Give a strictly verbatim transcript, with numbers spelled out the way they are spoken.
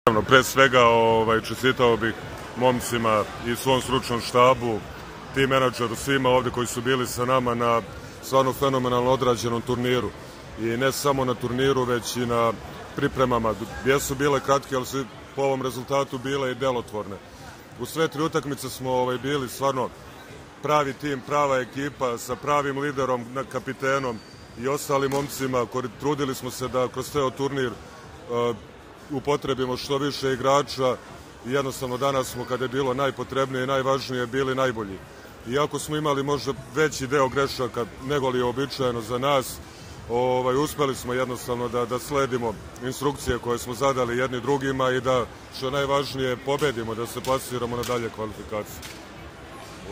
Pre svega ovaj, čestitao bih momcima i svom stručnom štabu, tim menadžeru, svima ovde koji su bili sa nama na stvarno fenomenalno odrađenom turniru. I ne samo na turniru, već i na pripremama. Jesu bile kratke, ali su po ovom rezultatu bile i delotvorne. U sve tri utakmice smo ovaj, bili stvarno pravi tim, prava ekipa sa pravim liderom, kapitenom i ostalim momcima. Trudili smo se da kroz ceo turnir uh, upotrebimo što više igrača i jednostavno danas smo, kada je bilo najpotrebnije i najvažnije, bili najbolji. Iako smo imali možda veći deo grešaka nego li je običajeno za nas, ovaj, uspeli smo jednostavno da, da sledimo instrukcije koje smo zadali jedni drugima i da, što je najvažnije, pobedimo, da se plasiramo na dalje kvalifikacije.